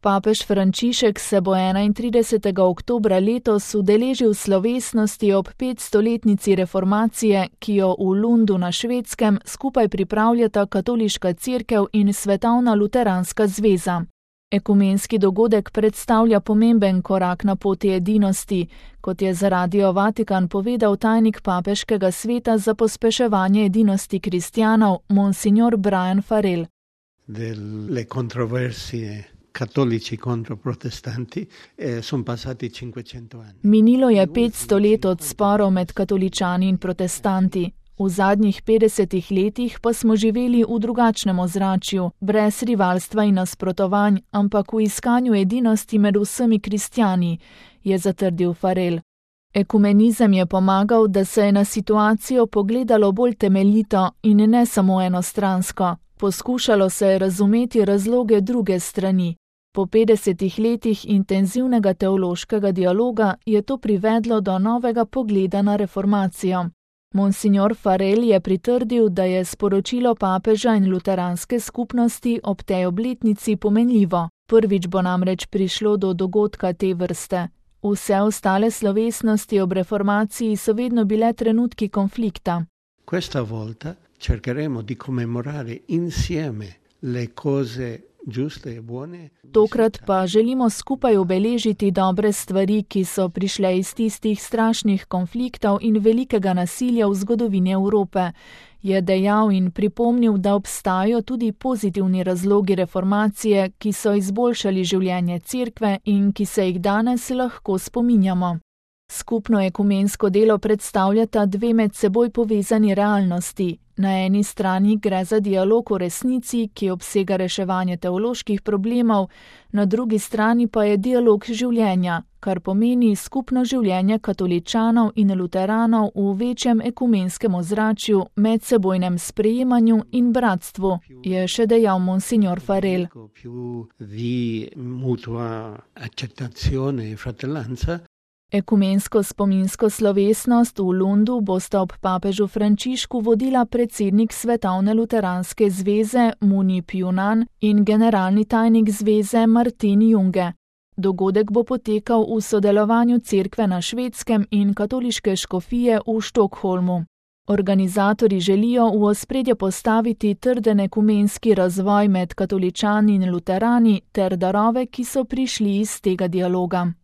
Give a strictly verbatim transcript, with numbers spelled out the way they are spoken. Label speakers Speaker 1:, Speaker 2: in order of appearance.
Speaker 1: Papež Frančišek se bo enaintridesetega oktobra letos udeležil slovesnosti ob petstoletnici reformacije, ki jo v Lundu na Švedskem skupaj pripravljata Katoliška cerkev in Svetovna luteranska zveza. Ekumenski dogodek predstavlja pomemben korak na poti edinosti, kot je za Radio Vatikan povedal tajnik papeškega sveta za pospeševanje edinosti kristjanov, monsignor Brian Farrell.
Speaker 2: Delle controversie cattolici contro protestanti eh, sono passati cinquecento anni.
Speaker 1: Minilo je petsto let od sporov med katoličani in protestanti. V zadnjih petdesetih letih pa smo živeli v drugačnem ozračju, brez rivalstva in nasprotovanj, ampak v iskanju edinosti med vsemi kristjani, je zatrdil Farrell. Ekumenizem je pomagal, da se je na situacijo pogledalo bolj temeljito in ne samo enostransko. Poskušalo se je razumeti razloge druge strani. Po petdesetih letih intenzivnega teološkega dialoga je to privedlo do novega pogleda na reformacijo. Monsignor Farrell je pritrdil, da je sporočilo papeža in luteranske skupnosti ob tej obletnici pomenljivo. Prvič bo namreč prišlo do dogodka te vrste. Vse ostale slovesnosti ob reformaciji so vedno bile trenutki konflikta.
Speaker 2: Questa volta cercheremo di commemorare insieme le cose giuste e buone.
Speaker 1: Tokrat pa želimo skupaj obeležiti dobre stvari, ki so prišle iz tistih strašnih konfliktov in velikega nasilja v zgodovini Evrope, je dejal in pripomnil, da obstajajo tudi pozitivni razlogi reformacije, ki so izboljšali življenje cerkve in ki se jih danes lahko spominjamo. Skupno ekumensko delo predstavljata dve med seboj povezani realnosti. Na eni strani gre za dialog o resnici, ki obsega reševanje teoloških problemov, na drugi strani pa je dialog življenja, kar pomeni skupno življenje katoličanov in luteranov v večjem ekumenskem ozračju, medsebojnem sprejemanju in bratstvu, je še dejal monsignor Farrell. Ekumensko spominsko slovesnost v Lundu bosta ob papežu Frančišku vodila predsednik Svetovne luteranske zveze Munip Junan in generalni tajnik zveze Martin Junge. Dogodek bo potekal v sodelovanju cerkve na Švedskem in katoliške škofije v Štokholmu. Organizatorji želijo v ospredje postaviti trden ekumenski razvoj med katoličani in luterani ter darove, ki so prišli iz tega dialoga.